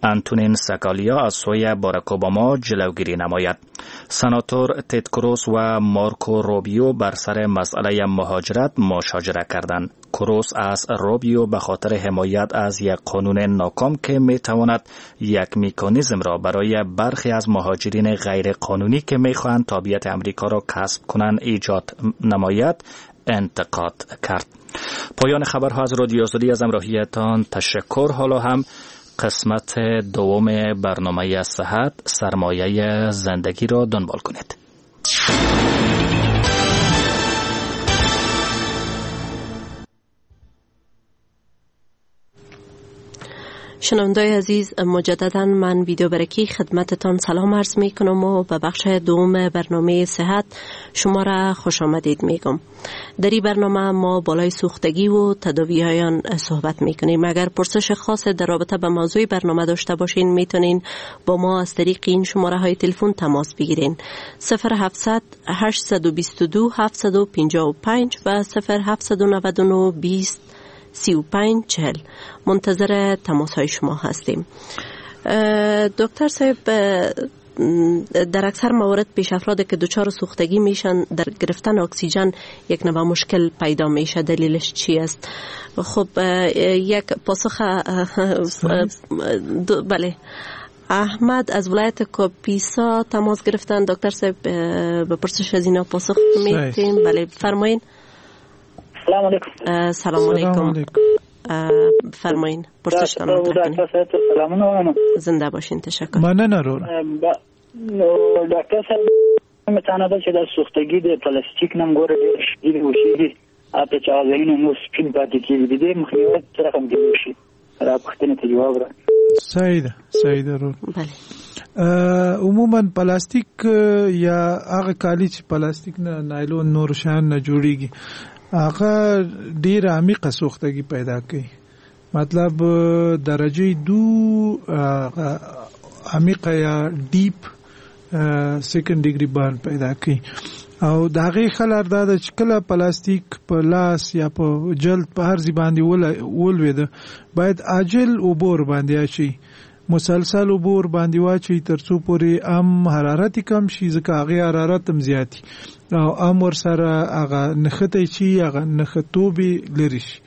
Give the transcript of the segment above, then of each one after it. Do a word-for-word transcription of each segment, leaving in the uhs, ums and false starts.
انتونین سکالیا از سوی باراک اوباما جلوگیری نماید. سناتور تد کروز و مارکو روبیو بر سر مسئله مهاجرت مشاجره کردند. کروز از روبیو به خاطر حمایت از یک قانون ناکام که می تواند یک مکانیزم را برای برخی از مهاجرین غیر قانونی که می خواهند تابعیت امریکا را کسب کنند ایجاد نماید انتقاد کرد. پایان خبرها از رادیو آزادی. از همراهیتان تشکر. حالا هم قسمت دوم برنامه صحت سرمایه زندگی را دنبال کنید. شنوندای عزیز، مجددا من ویدیو برکی خدمتتان سلام عرض می کنم و به بخش دوم برنامه صحت شما را خوش آمدید میگم. در این برنامه ما بالای سوختگی و تداوی های آن صحبت می کنیم. اگر پرسش خاص در رابطه به موضوع برنامه داشته باشین میتونین با ما از طریق این شماره های تلفن تماس بگیرین: صفر هفتصد هشتصد و بیست و دو هفتصد و پنجاه و پنج و صفر هفتصد و نود و نه بیست سی و پنج چهل. منتظر تماس های شما هستیم. دکتر صاحب، در اکثر موارد پیش افراد که دچار سوختگی میشن در گرفتن اکسیژن یک نوع مشکل پیدا میشه، دلیلش چی است؟ خب یک پاسخ بله. احمد از ولایت کاپیسا تماس گرفتن. دکتر صاحب به پرسش از اینا پاسخ میدیم. بله فرمایین. سلام علیکم. سلام علیکم. فرمایین پرسشتان مطرح کنید. زنده باشین، تشکر. مننه رور. ډاکټر صاحب متانه ده چې د سوختګي د پلاستیک نم ګوره ډېر شدید وشي، اته چې ځایونه مو سپین پاتې کېږي، د دې مخنیوي څه رقم کېدای شي؟ را پوښتنې ته جواب را. صحیح ده، صحیح ده رور. بله. عموما پلاستیک یا هغه کالي چې پلاستیک نه نایلون نور شیان نه جوړیږي هغه ډیر عمیقه سوختګي پیدا کوي. مطلب درجه دو عمیقه یا deep second degree burn پیدا کوي. او د هغې ښه لار دا ده چې کله پلاستیک په لاس یا په جلد په هر ځای باندې ولوېده باید عاجل اوبه ورباندې اچوي، مسلسل اوبه ورباندې واچوي تر څو پورې هم حرارت یې کم شي، ځکه هغې حرارت هم زیات او هم ورسره هغه نښتی چې هغه نښتوب یې لرې شي.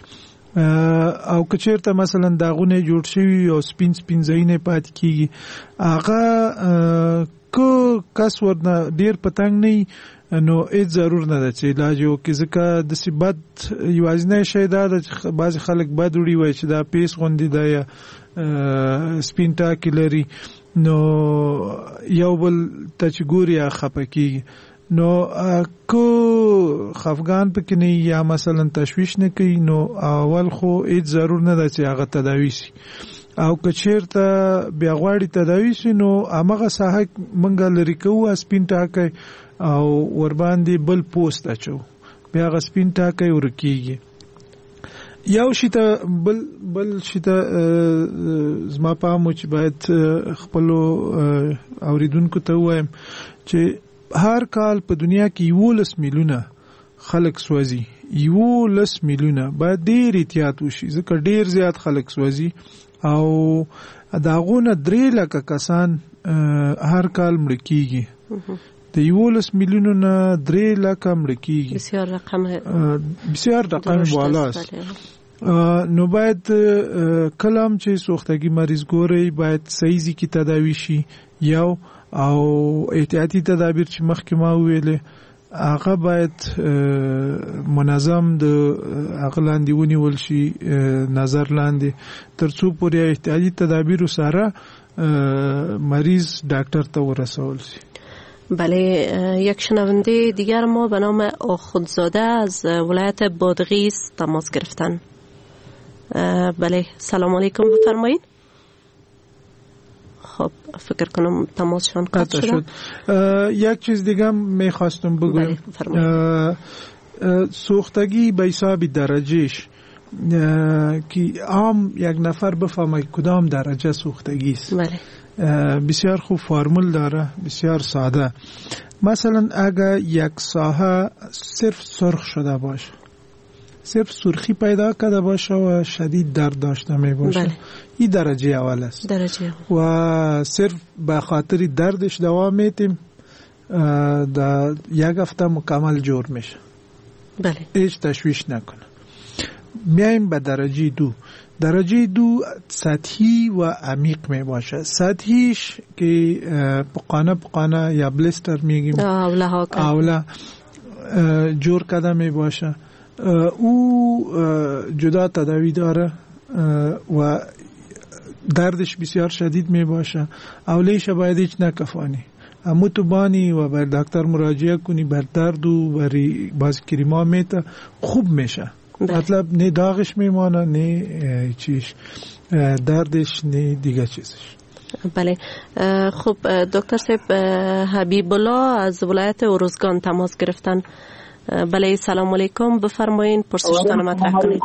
او که چېرته مثلا داغونه جوړ شوي او سپین سپین ځایونه پاتې کېږي، هغه که کس ورنه ډېر په تنګ نه وي نو هیڅ ضرور نه ده چې علاج یې وکړي، ځکه داسې بد یوازینی شی دا ده چې بعضې خلک بد وړي، وایي چې دا پیس غوندې ده یا سپین ټاکي لري، نو یو بل ته چې ګوري هغه خفه کېږي. نو که خفګان پکې نه یا مثلا تشویش نه کوي نو اول خو هیڅ ضرور نه ده چې هغه تداوي شي. او که چېرته بیا غواړي تداوي شي نو همغه ساحه موږ لرې کوو سپین ټاکی او ورباندې بل پوست اچو، بیا هغه سپین ټاکی ورکېږي. یو شي ته بل بل شي ته زما پام و چې باید خپلو اورېدونکو ته ووایم چې هر کال په دنیا کې یولس میلیونه خلک سوځي، یولس میلیونه. باید ډېر احتیاط وشي ځکه ډېر زیات خلک سوځي او د هغو نه درې لکه کسان هر کال مړه کېږي. د یولس میلیونو نه درې لکه مړه کېږي، بسیار رقم بسیار رقم بالاست. نو باید کله هم چې سوختګي مریض ګورئ باید صحیح ځای کې تداوي شي یو، او احتیاطي تدابیر چې مخکې ما وویلې هغه باید منظم د هغه لاندې ونیول شي، نظر لاندې، تر څو پورې احتیاطي تدابیرو سره مریض ډاکټر ته ورسول شي. بله. یک شنونده دیگر ما به نام آخوندزاده از ولایت بادغیس تماس گرفتن. بله سلام علیکم، بفرمایید. خب فکر کنم تماسشان قطع شد. یک چیز دیگه میخواستم بگویم. سوختگی به حساب درجهش که عام یک نفر بفهمه کدام درجه سوختگی است. بله. بسیار خوب فرمول داره، بسیار ساده. مثلا اگر یک ساحه صرف سرخ شده باشه، صرف سرخی پیدا کرده باشه و شدید درد داشته می باشه. بله. این درجه اول است. درجه اول. و صرف به خاطر دردش دوا میتیم، در یک هفته مکمل جور میشه. بله. هیچ تشویش نکنه. میایم به درجه دو. درجه دو سطحی و عمیق می باشه. سطحیش که پقانه پقانه یا بلستر میگیم، اوله ها اوله جور کده می باشه. او جدا تداوی داره و دردش بسیار شدید می باشه. اولیش باید هیچ نکفانی، امو تو بانی و بر دکتر مراجعه کنی، بر درد و بر باز کریما میته خوب میشه. مطلب نه داغش میمانه، نه چیش دردش، نه دیگه چیزش. بله. خب دکتر صاحب، حبیب الله از ولایت اورزگان تماس گرفتن. بله، سلام علیکم، بفرمایین پرسشتان مطرح کنید.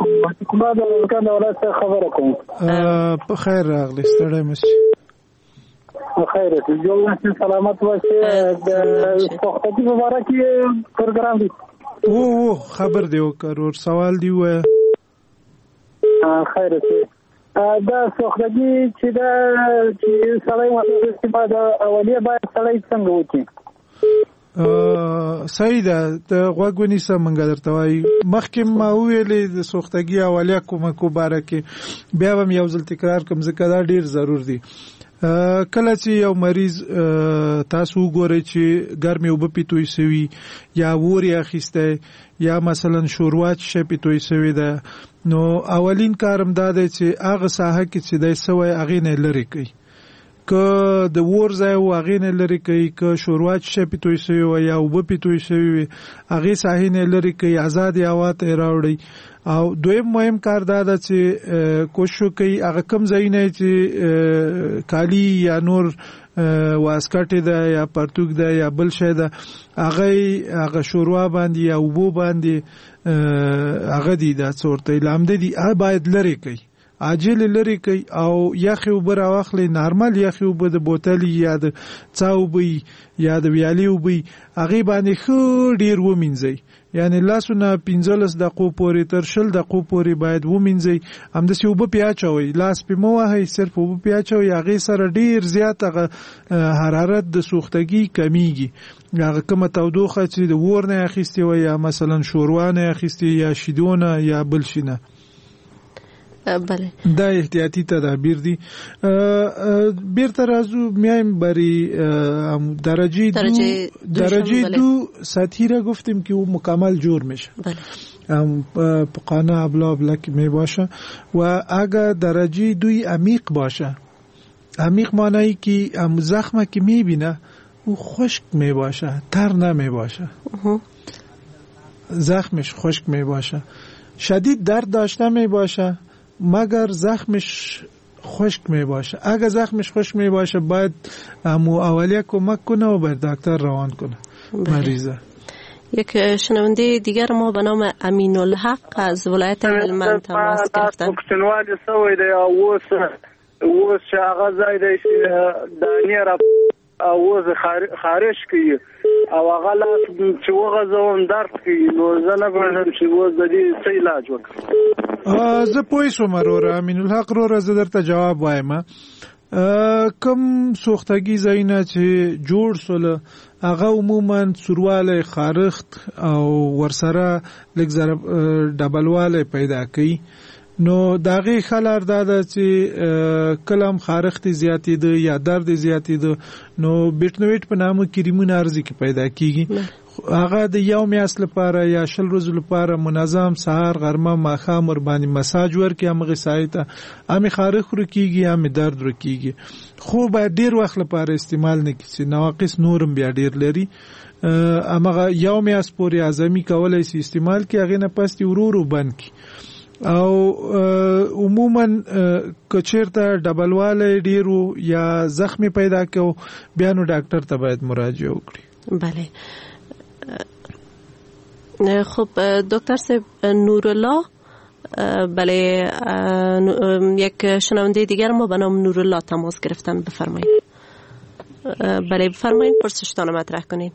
په خیر راغلی، ستړی مه شئ. خیر جوړ سلامت اوسئ. د سوختګي مبارک پروګرام دی. وو وو خبر دی وکړ، ور سوال دی وایه. خیر اوسې. دا سوختګي چې دا چې سړی ورته دا اولیه باید سړی څنګه وکړي؟ صحیح ده، ته غوږ ونیسه، مونږ درته وایو. مخکې ما وویلې د سوختګي اولیه کومه کو باره کې، بیا به یو ځل تکرار کوم ځکه دا ډیر ضرور دی. کله چې یو مریض تاسو وګورئ چې ګرمې اوبه پې توی سوي، یا اور یې اخیستی، یا مثلا شوروا چې شی پې توی سوې ده، نو اولین کار هم دا دی چې هغه ساحه کې چې دی سوی هغې نه یې لرې کوي. که د اور ځای و هغې نه لرې کوي، که شوروا چې شی پې توی سوې وه یا اوبه پې توی سوې وي هغې ساحې نه یې لرې کوي، ازادې هوا ته یې راوړئ. او دویم مهم کار دا ده چې کوشش وکړئ هغه کوم ځایونه چې کالي یا نور واسکټ ده یا پرتوګ ده یا بل شی ده، هغه هغه شوروا باندې یا اوبو باندې هغه دی دا څه ورته لامده دي، هغه باید لرې کوي، عاجل لرې کوي. او یخې اوبه راواخلئ، نارمل یخې اوبه د بوتلې یا د څاه اوبه یا د ویالې اوبه، هغې باندې ښه ډېر ومینځئ، یعنی لاسونه پنځلس دقیقو پورې تر شل دقیقو پورې باید ومینځئ. همداسې اوبه پې اچوئ، لاس پې مه وهئ، صرف اوبه پې اچوئ. هغې سره ډېر زیات هغه حرارت د سوختګي کمیږي. هغه کومه تودوخه چې د اور نه یې اخیستې وه یا مثلا شوروا نه یې اخیستې یا شیدو نه یا بل شي نه. بله، دا احتیاطي تدابیر دي. بیرته راځو، میایم بری درجه دو. درجه دو سطحی را گفتیم که او مکمل جور میشه. بله. پقانه ابلا ابلا که می باشه. و اگر درجه دوی عمیق باشه، عمیق معنی که زخمه که میبینه او خشک می باشه، تر نمی باشه، زخمش خشک می باشه، شدید درد داشته می باشه مگر زخمش خشک می باشه. اگر زخمش خشک می باشه باید امو اولیه کمک کنه و بر دکتر روان کنه مریضه. یک شنونده دیگر ما به نام امین الحق از ولایت هلمند تماس گرفتن. پښتونوالي سوی دی او اوس اوس چې هغه ځای دی چې دانې را او اوس خارش کوي او هغه لاس چې وغځوم درد کوي، نو زه نه پوهېږم چې اوس د دې څه علاج وکړم. زه پوه شوم وروره امین الحق وروره، زه درته جواب وایم. کم سوختګي ځایونه چې جوړ سول هغه عموما سوروالی، خارښت او ورسره لږ ذره ډبلوالی پیدا کوي. نو د هغې ښه لار دا ده چې کله هم خارښت یې زیاتېده یا درد یې زیاتېده، نو بیټنویټ په نامه کریمونه ارزي کې پیدا کیږي. هغه د یو میاشت لپاره یا شل ورځو لپاره منظم سهار، غرمه، ماښام ورباندې مساج ورکړي همغې ساحې ته، هم یې خارښت ورکېږي هم یې درد ورکېږي. خو باید ډېر وخت لپاره استعمال نه کړي چې نواقص نور هم بیا ډېر لري. همغه یو میاشت پورې اعظمي کولی شي استعمال کړي، هغې نه پس دې ورو ورو بند کړي. او عموما که چېرته ډبلوالی ډېر و یا زخمی پیدا کو، بیا نو ډاکټر ته باید مراجعه وکړي. بله. خب دکتر صاحب نورالله، بله یک شنونده دیگر ما به نام نورالله تماس گرفتن، بفرمایید. بله بفرمایید، پرسشتان مطرح کنین.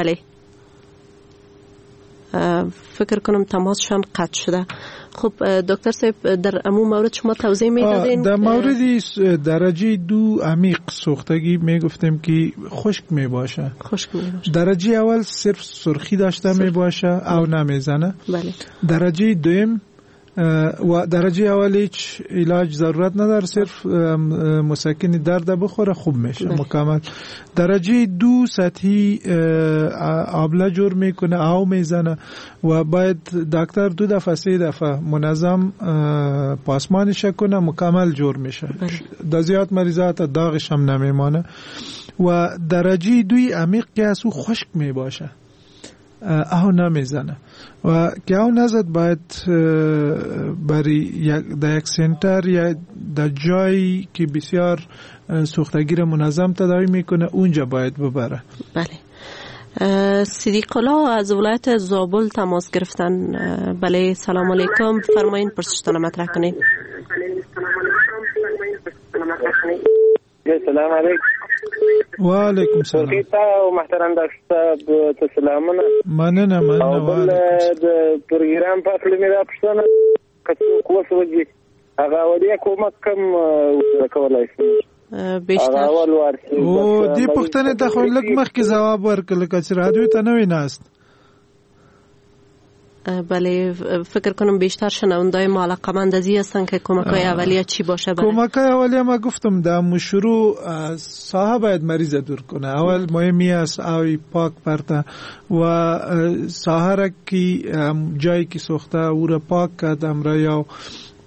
بله فکر کنم تماسشان قطع شده. خب دکتر صاحب در امو مورد شما توضیح میدادین. در مورد درجه دو عمیق سوختگی میگفتیم که خشک میباشه. خشک میباشه. درجه اول صرف سرخی داشته سرخ. میباشه او نمیزنه. بله. درجه دوم و درجه اول هیچ علاج ضرورت نداره، صرف مسکن درد بخوره خوب میشه. بله. مکمل. درجه دو سطحی آبله جور میکنه، او میزنه و باید دکتر دو دفعه سه دفعه منظم پاسمانش کنه، مکمل جور میشه. بله. در زیاد مریضات داغش هم نمیمانه. و درجه دوی عمیق که از او خشک میباشه، او نمیزنه و که او نزد باید برای یک در یک سنتر یا در جایی که بسیار سوختگی را منظم تداوی میکنه اونجا باید ببره. بله. صدیق الله از ولایت زابل تماس گرفتن. بله سلام علیکم، فرمایین پرسشتان مطرح کنید. سلام علیکم. و علیکم سلام. او محترم دکتر صاحب ته سلامونه. مننه مننه. او بل د پروګرام په اړه مې را پوښتنه که څوک وسوځي هغه اولیه کومک کم کولای شي بیشتر؟ او دې پوښتنې ته خو لږ مخکې ځواب ورکړ لکه چې رادیو ته نه وي ناست. بله فکر کنم بیشتر شنوندای ما علاقه‌مند از این هستن که کمک‌های اولیه چی باشه. کمک‌های اولیه ما گفتم در شروع ساحه باید مریض دور کنه. اول مهمی است آوی پاک پرته و ساحه را که جایی که سوخته او را پاک کرد امرا یا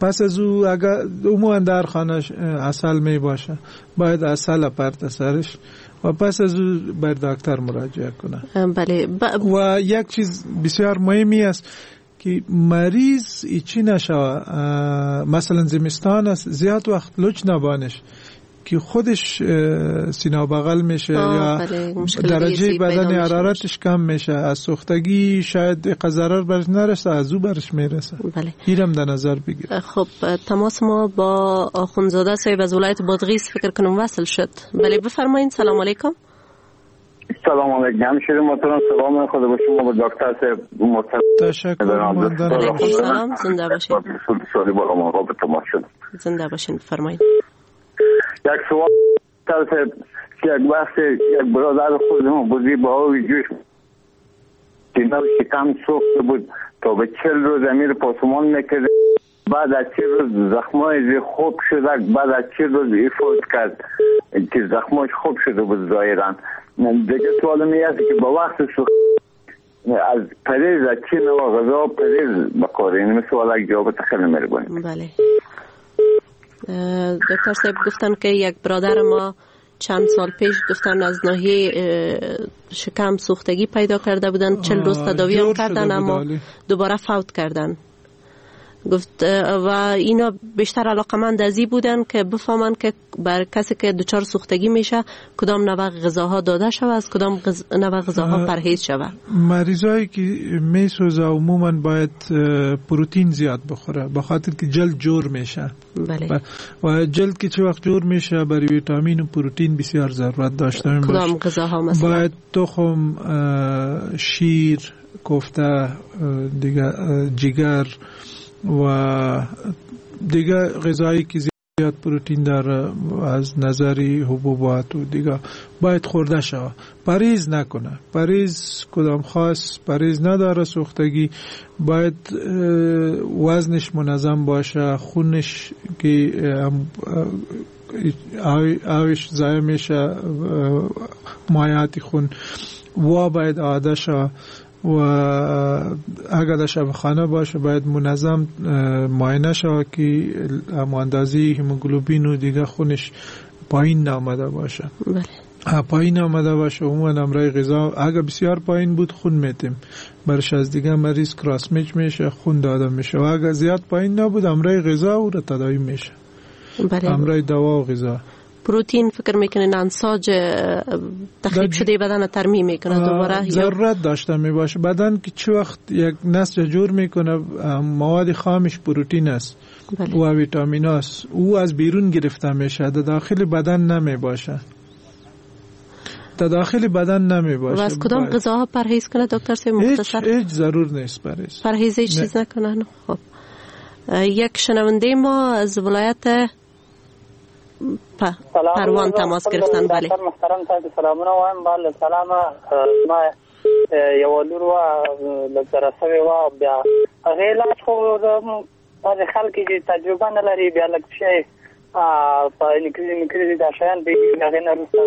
پس از او اگر عموما در خانه عسل می باشه باید عسل پرته سرش و پس از او بر دکتر مراجعه کنه. بله. ب... و یک چیز بسیار مهمی است که مریض ایچی نشوه، مثلا زمستان است زیاد وقت لچ نبانش که خودش سینه بغل میشه یا بله. درجه بدن حرارتش کم میشه، از سوختگی شاید ضرر برش نرسه، از او برش میرسه. بله. اینم در نظر بگیر. خب تماس ما با آخوندزاده صاحب از ولایت بادغیس فکر کنم وصل شد. بله بفرمایید. سلام علیکم. سلام علیکم. همشهری محترم سلام خدا به شما و دکتر صاحب محترم. تشکر. سلام، زنده باشین. زنده باشین. بفرمایید. یک سوال یک وقت یک برادر خودمون بودی با آب جوش سینه و شکم سوخته بود تا به چل روز امیر پاسمان میکرد، بعد از چل روز زخمای خوب شده، بعد از چل روز افوت کرد که زخماش خوب شده بود ظاهرا. دیگه سوال می است که با وقت سوخت از پریز از چه نوع غذا پریز بکاره؟ این سوال یک جواب خیلی مهربانی. بله دکتر صاحب گفتن که یک برادر ما چند سال پیش گفتن از ناحیه شکم سوختگی پیدا کرده بودن، چل روز تداوی هم کردن اما دوباره فوت کردن. گفت و اینا بیشتر علاقمند از این بودن که بفهمن که بر کسی که دچار سوختگی میشه کدام نوع غذاها داده شود، از کدام غز... نوع غذاها پرهیز شود. مریضایی که میسوزه عموما باید پروتئین زیاد بخوره به خاطر که جلد جور میشه. بله. و جلد که چه وقت جور میشه برای ویتامین و پروتئین بسیار ضرورت داشته میشه. کدام غذاها مثلا؟ باید تخم، شیر، کوفته، دیگه جگر و دیگه غذایی که زیاد پروتئین داره از نظر حبوبات و دیگه باید خورده شود. پریز نکنه، پریز کدام خاص پریز نداره سوختگی، باید وزنش منظم باشه، خونش که آوش ضایع میشه مایعات خون و باید عاده شود و اگر در شفاخانه باشه باید منظم معاینه شود که اندازه هموگلوبین و دیگه خونش پایین نامده باشه. بله. پایین آمده باشه عموما امرای غذا اگر بسیار پایین بود خون میتیم برش از دیگه مریض کراس میچ میشه، خون داده میشه، و اگر زیاد پایین نبود امرای غذا او را تداوی میشه. بله. امرای دوا و غذا. پروتئین فکر میکنین انساج تخریب شده بدن ترمیم میکنه دوباره؟ ضرورت داشته میباشه بدن که چه وقت یک نسج جور میکنه مواد خامش پروتئین است. بله. و ویتامین است، او از بیرون گرفته میشه، در داخل بدن نمیباشه. در داخل بدن نمی باشه. و از کدام غذاها پرهیز کنه دکتر صاحب؟ مختصر. هیچ ضرور نیست پرهیز. پرهیز هیچ چیز نکنن. خب یک شنونده ما از ولایت پروان تماس گرفتن. بله محترم صاحب سلامونه وایم. بله سلام. ما یو لور وه لږ سره سوې وه، بیا هغې علاج خو بعضې خلک چې تجربه نه لري بیا لږ شی په نکریزې مکریزې دا شیان پېږي، هغې نه وروسته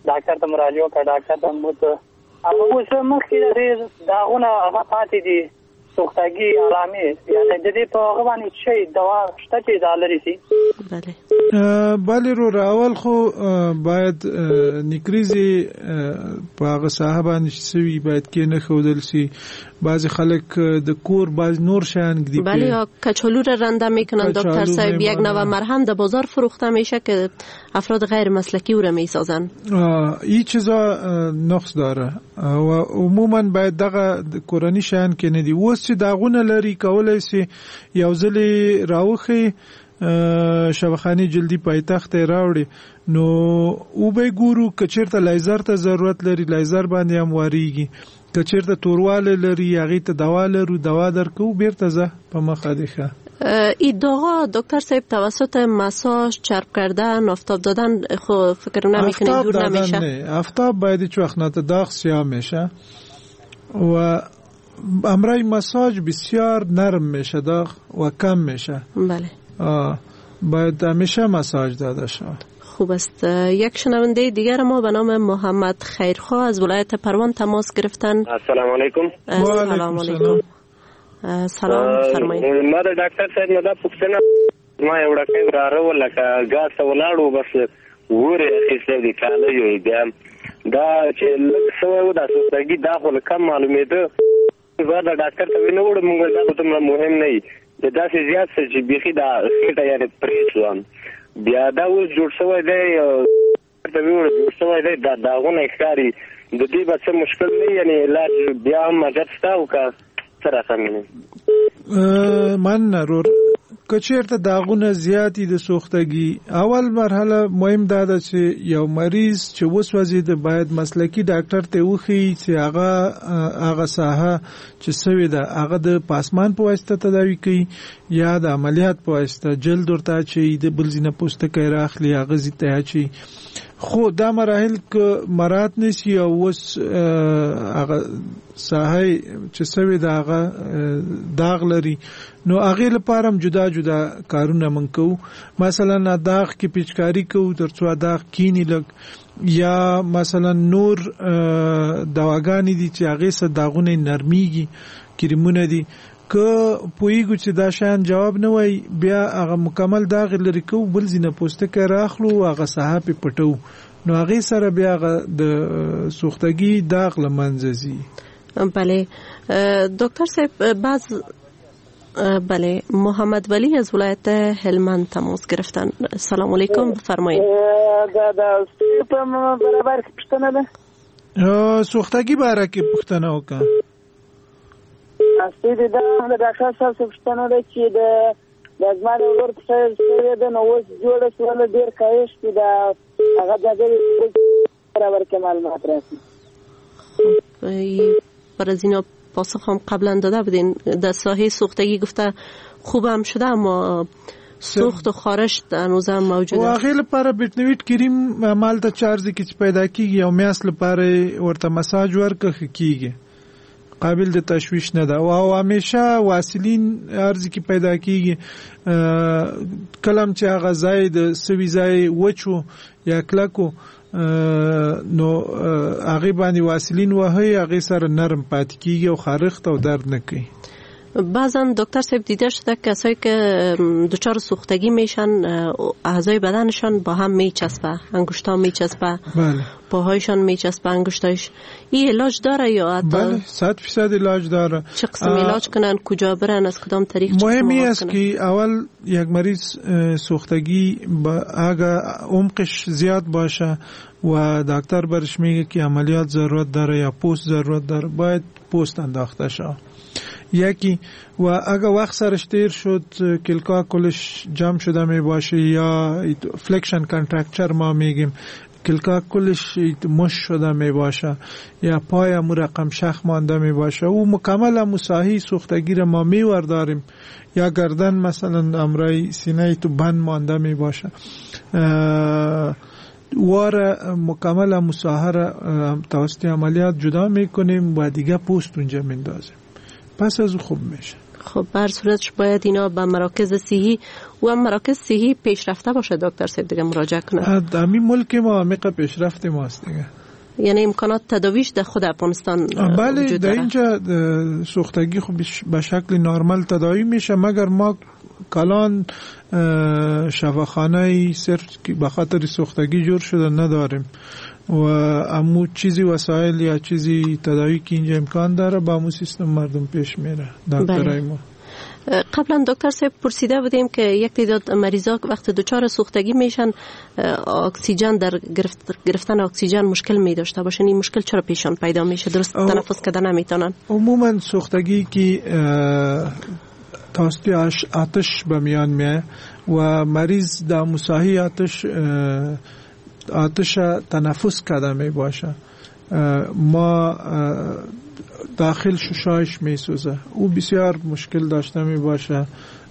ډاکټر ته مراجعه وکړه، ډاکټر ته مو هغه اوس مخکې د هغې داغونه هغه پاتې دي، سوختګي علامې، یعنې د دې په هغه باندې شی دوا شته چې دا لرې سي؟ بله بله وروره، اول خو باید نکریزې په هغه ساحه باندې چې سوي باید کېنښودل سي. بعضی خلک د کور بعضی نور شیان ږدي. بله کچالو را رنده میکنن دکتر صاحب، یک نوع مرهم در بازار فروخته میشه که افراد غیر مسلکی او را میسازن. این چیزا نقص داره و عموما باید دغه کورني شیان کې نه دي. اوس چې داغونه لري کولای سي یو ځلې راوښیي شبخانې جلدي پایتخت ته راوړي، نو وبه ګورو که چېرته لایزر ته ضرورت لري لایزر باندې هم واریږي، که چېرته توروالی لري هغې ته دوا لرو، دوا درکوو، بیرته ځه په مخه دې ښه. این داغا دکتر صاحب توسط مساژ، چرب کردن، آفتاب دادن خو فکر نمی‌کنی دور نمیشه؟ نه، آفتاب باید هیچ وقت نه، داغ سیاه میشه و امرای مساژ بسیار نرم میشه داغ و کم میشه. بله آه، باید همیشه مساژ داده شود. خوب است. یک شنونده دیگر ما به نام محمد خیرخواه از ولایت پروان تماس گرفتن. السلام علیکم. السلام علیکم. سلام فرمایئ. ما د ډاکټر صاحب نه دا پوښتنه، ما یو وړوکی وراره و لکه ګاز ته ولاړ و، بس ور یې اخیستی دی کاله یې، بیا دا چې لږ سوی و دا سوختګي دا خو کم معلومېده، بیا د ډاکټر ته وینه وړو، موږ دا خو دومره مهم نه وي، د داسې زیات څه چې بیخي دا خېټه یعنې پرې شوه، بیا دا اوس جوړ شوی دی، ته ویوړه جوړ شوی دی، دا داغونه یې ښکاري، د دې به څه مشکل نه، یعنې علاج بیا هم مدد شته او که څه رقم یې؟ مننه رور. که چېرته داغونه زیات دي د سوختګي، اول مرحله مهم دا ده چې یو مریض چې وسوځېده باید مسلکي ډاکټر ته وښیي چې هغه هغه ساحه چې سوې ده هغه د پاسمان په واسطه تداوي کوي یا د عملیات په واسطه، جلد ورته اچوي، د بل ځای نه پوستکی راخلي هغه ځای ته اچوي. خو دا مراحل که مراعات نه سي او اوس هغه ساحه چې سوې ده هغه داغ لري، نو هغې لپاره هم جدا جدا کارونه موږ کوو. مثلا داغ کې پیچکاري کوو تر څو داغ کینی لږ، یا مثلا نور دواګانې دي چې هغې سره داغونه نرمیږي، کریمونه دي. که پوهیږو چې دا شیان جواب نه وایي بیا هغه مکمل داغ لرې کوو، بل ځای نه پوستکی راخلو هغه ساحه پې پټوو، نو هغې سره بیا هغه د سوختګي داغ له منځه ځي. بله دکتر صاحب، بعض بله محمد ولی از ولایت هلمند تماس گرفتن. سلام علیکم، بفرمایید. دا د په برابر کې پوښتنه ده. سوختګي باره کې پوښتنه وکړه. اصلي دا د ډاکټر صاحب څخه پوښتنه ده چې د د زما د ورور پښه شوې ده، نو اوس جوړه شوله، ډېر کاهش دی، دا هغه ځای برابر کې معلومات راسي. برای از اینا پاسخ هم قبلا داده بودین. در ساحه سوختگی گفته خوبم شده اما سوخت و خارش هنوز هم موجود است. و هغې لپاره بیټنویټ کریم مالته چارج کې چې پیدا کیږي او میاشت لپاره ورته مساج ورکړه ښه کیږي، قابل د تشویش نه ده. او همیشه واسلین ارز کې پیدا کیږي، کلم چې هغه ځای د سوي ځای وچو یا کلکو نو هغه باندې واسلین وهي، هغه سره نرم پاتې کیږي او خارښت او درد نه کوي. بعضا دکتر صاحب دیده شده کسایی که دچار سوختگی میشن اعضای بدنشان با هم میچسبه، انگشتا میچسبه، بله، پاهایشان میچسبه، انگشتایش. این علاج داره یا حتی؟ بله، صد فیصد علاج داره. چه قسم علاج کنن، کجا برن، از کدام طریق؟ مهمی است که اول یک مریض سوختگی با اگه عمقش زیاد باشه و دکتر برش میگه که عملیات ضرورت داره یا پوست ضرورت داره، باید پوست انداخته شود. یکی و اگه وقت سرش تیر شد کلکا کلش جمع شده می باشه یا flexion contracture ما میگیم، کلکا کلش مش شده می باشه یا پای امو رقم شخ مانده می باشه، او مکمل امو ساحی سوختگی را ما می ورداریم، یا گردن مثلا امرای سینه تو بند مانده می باشه، وار مکمل امو ساحه را توسط عملیات جدا میکنیم و دیگه پوست اونجا میندازیم، پس از او خوب میشه. خب بر صورتش باید اینا به مراکز صحی و مراکز صحی پیشرفته باشه دکتر صاحب دیگه مراجعه کنه. همین ملک ما عمیق پیشرفت ماست دیگه، یعنی امکانات تداویش در خود افغانستان بله وجود در داره. اینجا سوختگی خب به شکل نرمال تداوی میشه، مگر ما کلان شفاخانه صرف به خاطر سوختگی جور شده نداریم و امو چیزی وسایل یا چیزی تداوی که اینجا امکان داره با امو سیستم مردم پیش میره دکترای ما. قبلا دکتر صاحب پرسیده بودیم که یک تعداد مریضا وقت دچار سوختگی میشن اکسیژن در گرفت گرفتن اکسیژن مشکل می داشته باشن، این مشکل چرا پیشان پیدا میشه؟ درست تنفس کردن نمیتونن. عموما سوختگی که توسط آتش به میان میه و مریض در مساحی آتش آتش تنفس کرده می باشه، ما داخل ششایش می سوزه، او بسیار مشکل داشته می باشه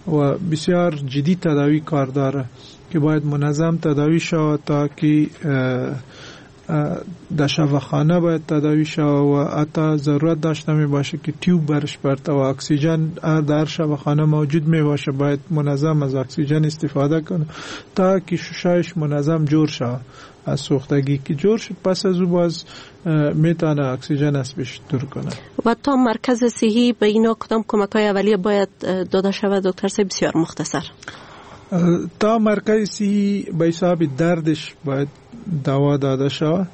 و بسیار جدی تداوی کار داره که باید منظم تداوی شود تا که در شفاخانه باید تداوی شود و حتی ضرورت داشته می باشه که تیوب برش برته و اکسیژن در شفاخانه موجود می باشه، باید منظم از اکسیژن استفاده کنه تا که ششایش منظم جور شود. از سوختگی که جور شد پس از او باز میتونه اکسیژن از پیش دور کنه. و تا مرکز صحی به اینا کدام کمک های اولیه باید داده شود دکتر صاحب؟ بسیار مختصر. تا مرکز صحی به حساب دردش باید دوا داده شود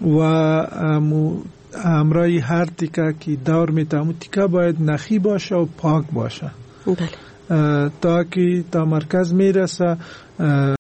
و همراه هر تیکه که دور میته امو تیکه باید نخی باشه و پاک باشه. بله. تا که تا مرکز میرسه